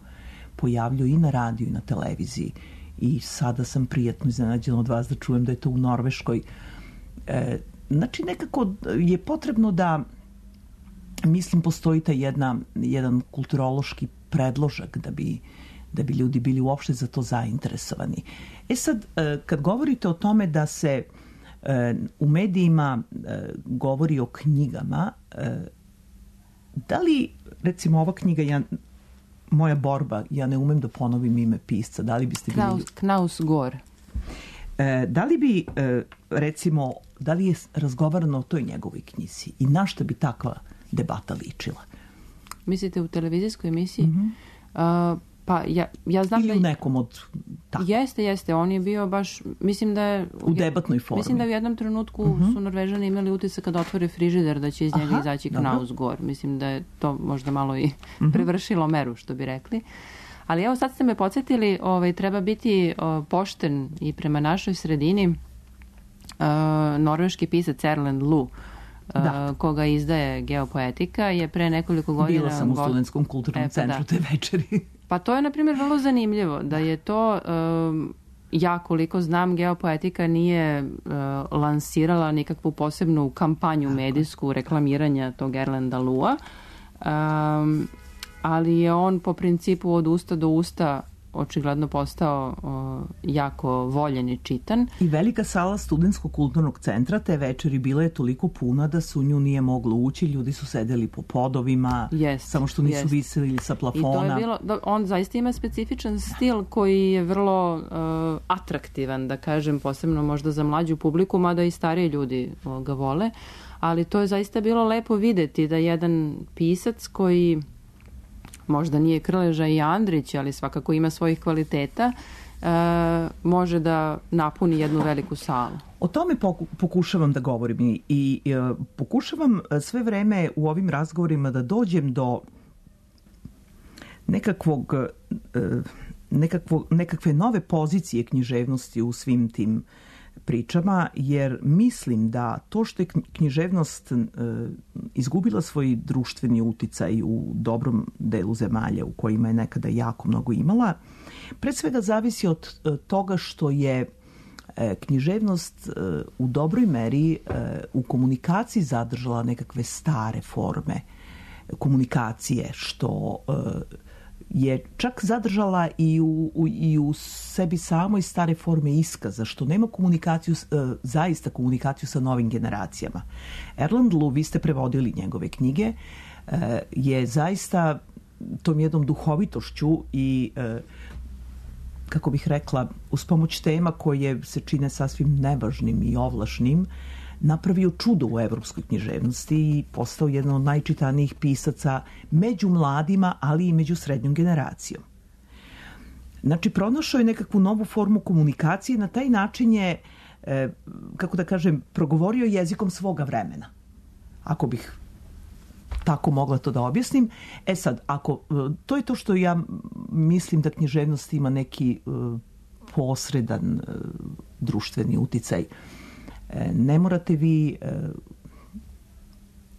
pojavljuje i na radiju i na televiziji. I sada sam prijatno iznenađena od vas da čujem da je to u Norveškoj. E, znači nekako je potrebno da, mislim, postoji ta jedna, jedan kulturološki predložak da bi, da bi ljudi bili uopšte za to zainteresovani. E sad, kad govorite o tome da se u medijima govori o knjigama, da li, recimo, ova knjiga, ja, Moja borba, ja ne umem da ponovim ime pisca, da li biste bili... Knaus, Knausgård. Da li bi, recimo, da li je razgovarano o toj njegovoj knjizi i na šta bi takva debata ličila? Mislite u televizijskoj emisiji? Mm-hmm. Uh, pa ja, ja znam ili da... u nekom od... Tako. Jeste, jeste. On je bio baš, mislim da je... U debatnoj formi. Mislim da u jednom trenutku mm-hmm. su Norvežani imali utisak kada otvore frižider da će iz njega Aha, izaći Knausgård. Mislim da je to možda malo i mm-hmm. prevršilo meru, što bi rekli. Ali evo, sad ste me podsjetili, ovaj, treba biti o, pošten i prema našoj sredini. Uh, norveški pisac Erlend Loe Da. uh, koga izdaje Geopoetika, je pre nekoliko godina... Bila sam u go- Studentskom kulturnom E, pa centru da. te večeri. Pa to je, na primjer, vrlo zanimljivo, da je to, um, ja koliko znam, Geopoetika nije uh, lansirala nikakvu posebnu kampanju medijsku reklamiranja tog Erlanda Lua, um, ali je on po principu od usta do usta očigledno postao o, jako voljen i čitan. I velika sala Studentskog kulturnog centra te večeri bila je toliko puna da se u nju nije moglo ući, ljudi su sedeli po podovima, Jest, samo što nisu jest. viseli sa plafona. I to je bilo, da, on zaista ima specifičan stil koji je vrlo uh, atraktivan, da kažem, posebno možda za mlađu publiku, mada i stariji ljudi o, ga vole, ali to je zaista bilo lepo videti da jedan pisac koji možda nije Krleža i Andrić, ali svakako ima svojih kvaliteta, e, može da napuni jednu veliku salu. O tome poku, pokušavam da govorim i, i e, pokušavam sve vreme u ovim razgovorima da dođem do nekakvog, e, nekakvog, nekakve nove pozicije književnosti u svim tim pričama, jer mislim da to što je književnost e, izgubila svoj društveni uticaj u dobrom delu zemalja u kojima je nekada jako mnogo imala, pre svega zavisi od e, toga što je e, književnost e, u dobroj meri e, u komunikaciji zadržala nekakve stare forme komunikacije, što e, je čak zadržala i u, u, i u sebi samoj stare forme iskaza, što nema komunikaciju, zaista komunikaciju sa novim generacijama. Erland Lu, vi ste prevodili njegove knjige, je zaista tom jednom duhovitošću i, kako bih rekla, uz pomoć tema koje se čine sasvim nevažnim i ovlašnim, napravio čudo u evropskoj književnosti i postao jedan od najčitanijih pisaca među mladima, ali i među srednjom generacijom. Znači, pronašao je nekakvu novu formu komunikacije i na taj način je, e, kako da kažem, progovorio jezikom svoga vremena. Ako bih tako mogla to da objasnim. E sad, ako, to je to što ja mislim da književnost ima neki e, posredan e, društveni uticaj. Ne morate vi e,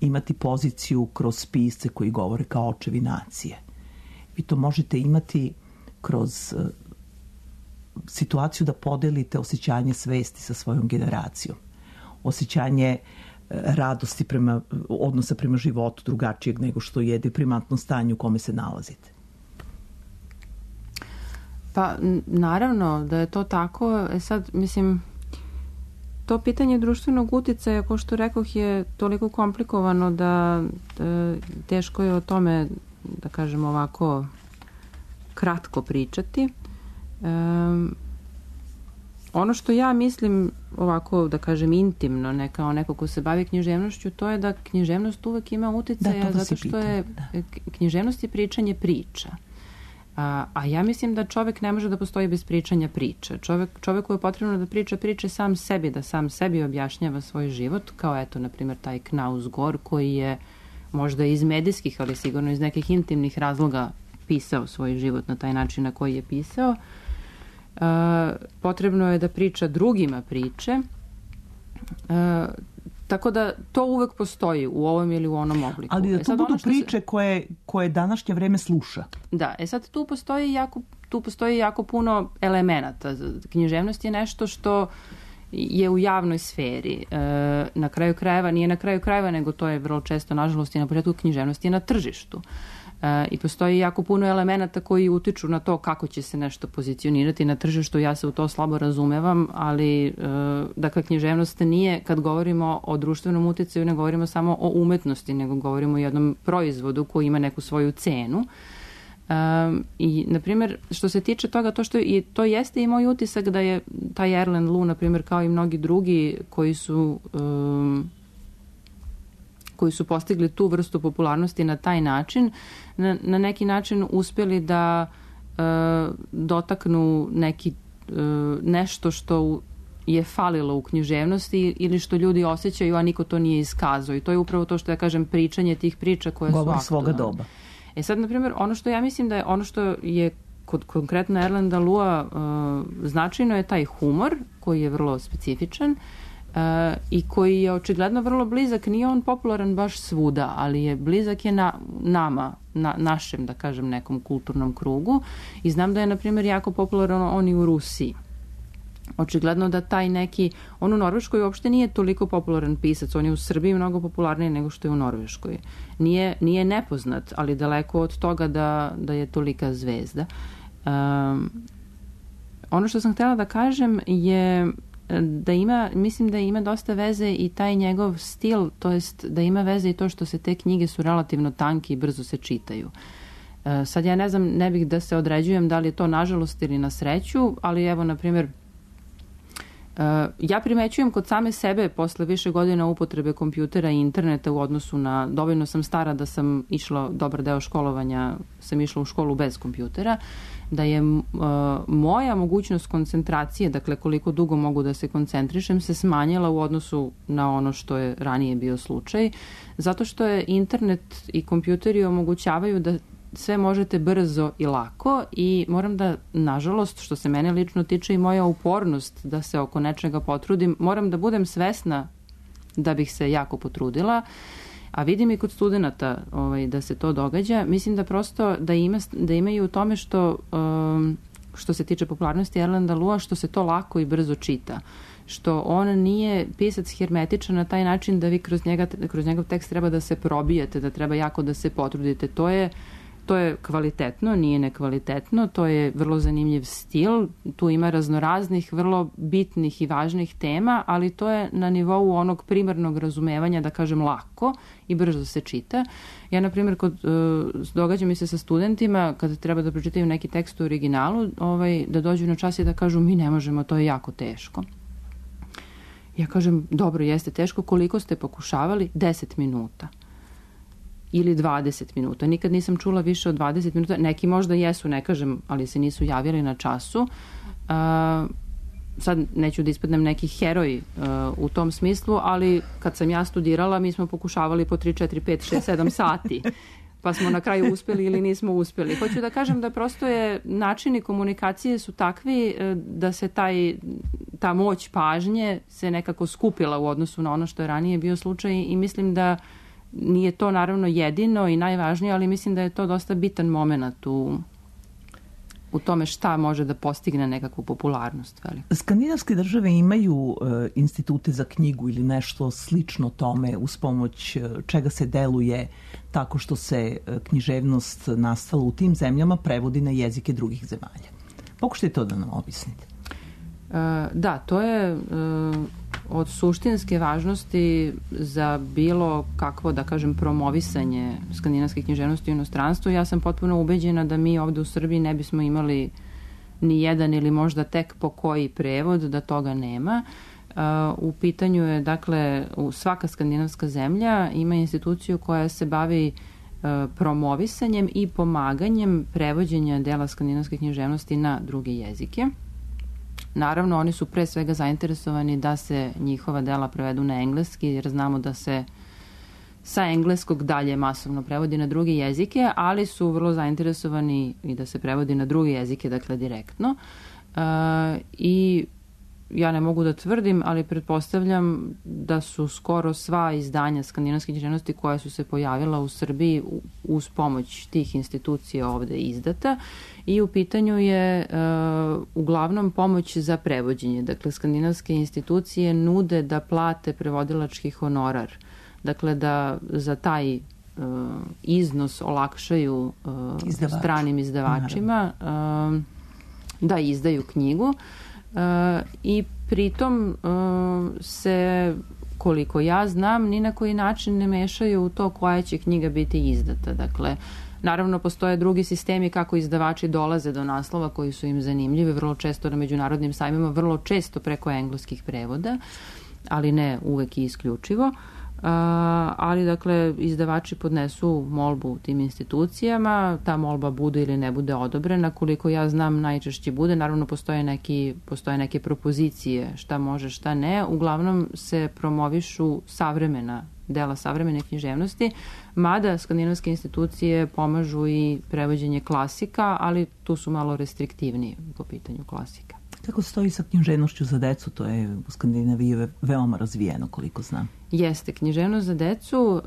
imati poziciju kroz pisce koji govore kao očevi nacije. Vi to možete imati kroz e, situaciju da podelite osjećanje svesti sa svojom generacijom. Osjećanje e, radosti prema, odnosa prema životu drugačijeg nego što je deprimantno stanje u kome se nalazite. Pa, naravno da je to tako. E sad, mislim... To pitanje društvenog uticaja, kao što rekoh, je toliko komplikovano da e, teško je o tome, da kažem ovako, kratko pričati. E, ono što ja mislim, ovako, da kažem, intimno, ne kao neko ko se bavi književnošću, to je da književnost uvek ima uticaja, da, zato što pitam, je da. književnost je pričanje priča. A, a ja mislim da čovek ne može da postoji bez pričanja priča. Čovek, čoveku je potrebno da priča priče sam sebi, da sam sebi objašnjava svoj život, kao eto, na primjer, taj Knaus Gor, koji je možda iz medijskih, ali sigurno iz nekih intimnih razloga pisao svoj život na taj način na koji je pisao. E, potrebno je da priča drugima priče. E, Tako da to uvek postoji u ovom ili u onom obliku. Ali da e to sad, budu ono što priče koje, koje današnje vreme sluša. Da, e sad tu postoji jako, tu postoji jako puno elemenata. Književnost je nešto što je u javnoj sferi. E, na kraju krajeva, nije na kraju krajeva, nego to je vrlo često, nažalost, i na početku književnosti je na tržištu. E, I postoji jako puno elemenata koji utiču na to kako će se nešto pozicionirati na tržištu. Ja se u to slabo razumevam, ali e, dakle, književnost nije, kad govorimo o društvenom uticaju, ne govorimo samo o umetnosti, nego govorimo o jednom proizvodu koji ima neku svoju cenu. Um, i, na primjer, što se tiče toga, to što i to jeste i moj utisak da je taj Erland Lu, na primjer, kao i mnogi drugi koji su um, koji su postigli tu vrstu popularnosti na taj način, na, na neki način uspjeli da uh, dotaknu neki uh, nešto što je falilo u književnosti ili što ljudi osjećaju, a niko to nije iskazao. I to je upravo to što ja kažem, pričanje tih priča koje Govor su aktualne. svoga doba. E sad, na primjer, ono što ja mislim da je, ono što je kod konkretno Erlanda Lua uh, značajno je taj humor, koji je vrlo specifičan. Uh, i koji je očigledno vrlo blizak, nije on popularan baš svuda, ali je blizak je na, nama, na našem, da kažem, nekom kulturnom krugu i znam da je, na primjer, jako popularan on i u Rusiji. Očigledno da taj neki, on u Norveškoj uopšte nije toliko popularan pisac, on je u Srbiji mnogo popularniji nego što je u Norveškoj. Nije, nije nepoznat, ali daleko od toga da, da je tolika zvezda. Um, ono što sam htjela da kažem je da ima, mislim da ima dosta veze i taj njegov stil, to jest da ima veze i to što se te knjige su relativno tanke i brzo se čitaju. E, sad ja ne znam, ne bih da se određujem da li je to nažalost ili na sreću, ali evo, na primjer, e, ja primećujem kod same sebe posle više godina upotrebe kompjutera i interneta u odnosu na, dovoljno sam stara da sam išla, dobar deo školovanja, sam išla u školu bez kompjutera, da je uh, moja mogućnost koncentracije, dakle koliko dugo mogu da se koncentrišem, se smanjila u odnosu na ono što je ranije bio slučaj, zato što je internet i kompjuteri omogućavaju da sve možete brzo i lako i moram da, nažalost, što se mene lično tiče i moja upornost da se oko nečega potrudim, moram da budem svesna da bih se jako potrudila. A vidim i kod studenta ovaj, da se to događa. Mislim da prosto da, ima, da imaju u tome što, um, što se tiče popularnosti Erlanda Lua, što se to lako i brzo čita. Što on nije pisac hermetičan na taj način da vi kroz, njega, kroz njegov tekst treba da se probijete, da treba jako da se potrudite. To je, to je kvalitetno, nije nekvalitetno, to je vrlo zanimljiv stil, tu ima raznoraznih, vrlo bitnih i važnih tema, ali to je na nivou onog primarnog razumevanja, da kažem, lako i brzo se čita. Ja, na primjer, kod, uh, događa mi se sa studentima, kada treba da pročitaju neki tekst u originalu, ovaj, da dođu na čas i da kažu mi ne možemo, to je jako teško. Ja kažem, dobro, jeste teško, koliko ste pokušavali? deset minuta. Ili dvadeset minuta. Nikad nisam čula više od dvadeset minuta. Neki možda jesu, ne kažem, ali se nisu javili na času. Uh, sad neću da ispadnem neki heroj uh, u tom smislu, ali kad sam ja studirala, mi smo pokušavali po tri, četiri, pet, šest, sedam sati. Pa smo na kraju uspeli ili nismo uspeli. Hoću da kažem da prosto je načini komunikacije su takvi da se taj, ta moć pažnje se nekako skupila u odnosu na ono što je ranije bio slučaj i mislim da nije to naravno jedino i najvažnije, ali mislim da je to dosta bitan moment u, u tome šta može da postigne nekakvu popularnost. Veliku. Skandinavske države imaju e, institute za knjigu ili nešto slično tome uz pomoć e, čega se deluje tako što se e, književnost nastala u tim zemljama prevodi na jezike drugih zemalja. Pokušajte to da nam objasnite. E, da, to je e, od suštinske važnosti za bilo kakvo, da kažem, promovisanje skandinavske književnosti u inostranstvu. Ja sam potpuno ubeđena da mi ovde u Srbiji ne bismo imali ni jedan ili možda tek po koji prevod, da toga nema. U pitanju je, dakle, svaka skandinavska zemlja ima instituciju koja se bavi promovisanjem i pomaganjem prevođenja dela skandinavske književnosti na druge jezike. Naravno, oni su pre svega zainteresovani da se njihova dela prevedu na engleski, jer znamo da se sa engleskog dalje masovno prevodi na druge jezike, ali su vrlo zainteresovani i da se prevodi na druge jezike, dakle direktno. Uh, I ja ne mogu da tvrdim, ali pretpostavljam da su skoro sva izdanja skandinavske književnosti koja su se pojavila u Srbiji uz pomoć tih institucija ovde izdata i u pitanju je uh, uglavnom pomoć za prevođenje. Dakle, skandinavske institucije nude da plate prevodilački honorar. Dakle, da za taj uh, iznos olakšaju uh, Izdavač. stranim izdavačima uh, da izdaju knjigu. Uh, i pritom uh, se, koliko ja znam, ni na koji način ne mešaju u to koja će knjiga biti izdata. Dakle, naravno postoje drugi sistemi kako izdavači dolaze do naslova koji su im zanimljivi, vrlo često na međunarodnim sajmima, vrlo često preko engleskih prevoda, ali ne uvek i isključivo. Uh, ali dakle izdavači podnesu molbu tim institucijama, ta molba bude ili ne bude odobrena, koliko ja znam najčešće bude, naravno postoje, neki, postoje neke propozicije šta može šta ne, uglavnom se promovišu savremena dela savremene književnosti, mada skandinavske institucije pomažu i prevođenje klasika, ali tu su malo restriktivniji po pitanju klasika. Kako stoji sa književnošću za decu? To je u Skandinaviji ve- veoma razvijeno, koliko znam. Jeste, književnost za decu uh,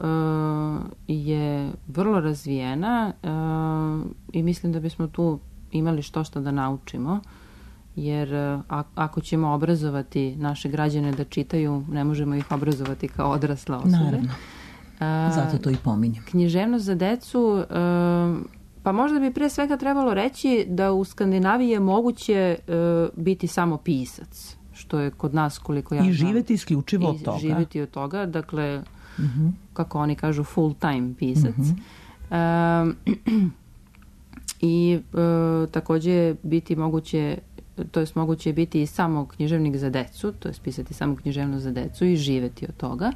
je vrlo razvijena uh, i mislim da bismo tu imali što što da naučimo, jer uh, a- ako ćemo obrazovati naše građane da čitaju, ne možemo ih obrazovati kao odrasle osobe. Naravno. Zato to i pominjem. Književnost za decu, uh, pa možda bi pre svega trebalo reći da u Skandinaviji je moguće uh, biti samo pisac, što je kod nas, koliko ja I znam, živeti isključivo od toga. I živeti od toga, dakle, uh-huh. kako oni kažu, full time pisac. Uh-huh. Um, I uh, takođe biti moguće, to jest moguće biti i samo književnik za decu, to jest pisati samo književnost za decu i živeti od toga.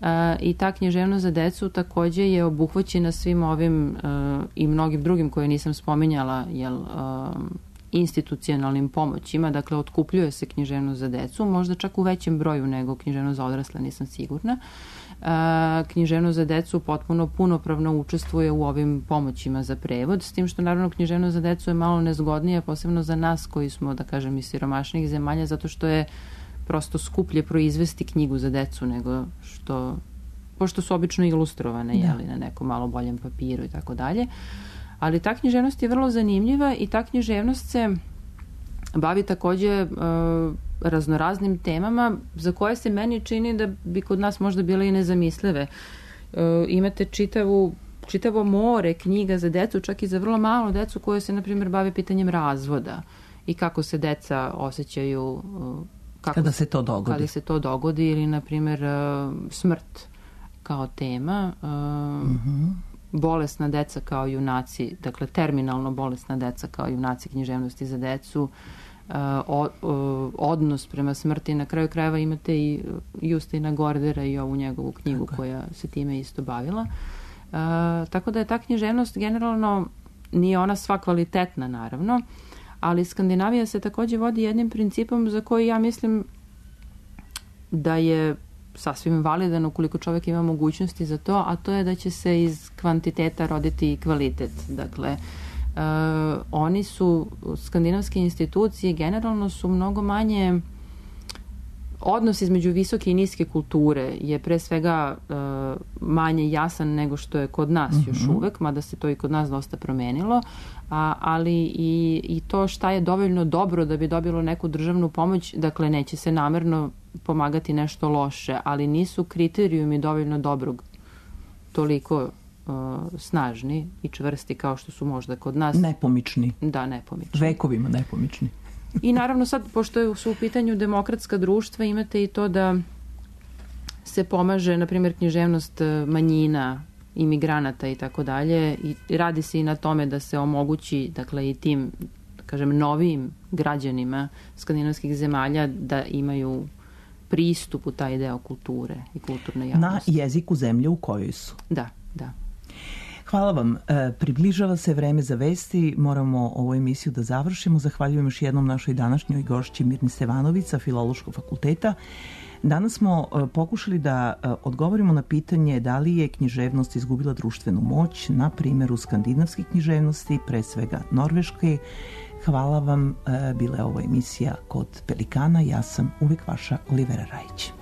Uh, I ta književnost za decu takođe je obuhvaćena svim ovim uh, i mnogim drugim koje nisam spominjala, jel, uh, institucionalnim pomoćima, dakle otkupljuje se književnost za decu, možda čak u većem broju nego književnost za odrasle, nisam sigurna. Uh, književnost za decu potpuno punopravno učestvuje u ovim pomoćima za prevod, s tim što naravno književnost za decu je malo nezgodnija, posebno za nas koji smo, da kažem, iz siromašnijih zemalja, zato što je prosto skuplje proizvesti knjigu za decu nego što, pošto su obično ilustrovane, da. jeli, na nekom malo boljem papiru i tako dalje. Ali ta književnost je vrlo zanimljiva i ta književnost se bavi takođe uh, raznoraznim temama za koje se meni čini da bi kod nas možda bile i nezamislive. Uh, imate čitavu, čitavo more knjiga za decu, čak i za vrlo malo decu koje se, na primjer, bave pitanjem razvoda i kako se deca osjećaju uh, kako kada se to dogodi. Kada se to dogodi ili, na primjer, smrt kao tema, uh-huh. bolesna deca kao junaci, dakle terminalno bolesna deca kao junaci književnosti za decu, odnos prema smrti. Na kraju krajeva imate i Justina Gordera i ovu njegovu knjigu tako koja se time isto bavila. Tako da je ta književnost generalno, nije ona sva kvalitetna naravno, ali Skandinavija se takođe vodi jednim principom za koji ja mislim da je sasvim validan ukoliko čovjek ima mogućnosti za to, a to je da će se iz kvantiteta roditi i kvalitet. Dakle, uh, oni su, skandinavske institucije generalno su mnogo manje, odnos između visoke i niske kulture je pre svega uh, manje jasan nego što je kod nas mm-hmm. još uvek, mada se to i kod nas dosta promenilo, a, ali i, i to šta je dovoljno dobro da bi dobilo neku državnu pomoć, dakle neće se namerno pomagati nešto loše, ali nisu kriterijumi dovoljno dobrog toliko uh, snažni i čvrsti kao što su možda kod nas. Nepomični. Da, nepomični. Vekovima nepomični. I naravno sad, pošto su u pitanju demokratska društva, imate i to da se pomaže, na primjer, književnost manjina, imigranata i tako dalje, i radi se i na tome da se omogući, dakle, i tim, da kažem, novijim građanima skandinavskih zemalja da imaju pristup u taj deo kulture i kulturne javnosti. Na jeziku zemlje u kojoj su. Da, da. Hvala vam. E, približava se vreme za vesti. Moramo ovu emisiju da završimo. Zahvaljujem još jednom našoj današnjoj gošći Mirni Stevanović sa Filološkog fakulteta. Danas smo e, pokušali da e, odgovorimo na pitanje da li je književnost izgubila društvenu moć na primjeru skandinavskih književnosti, pre svega norveške. Hvala vam. E, bila je ovo emisija Kod Pelikana. Ja sam uvijek vaša Olivera Rajić.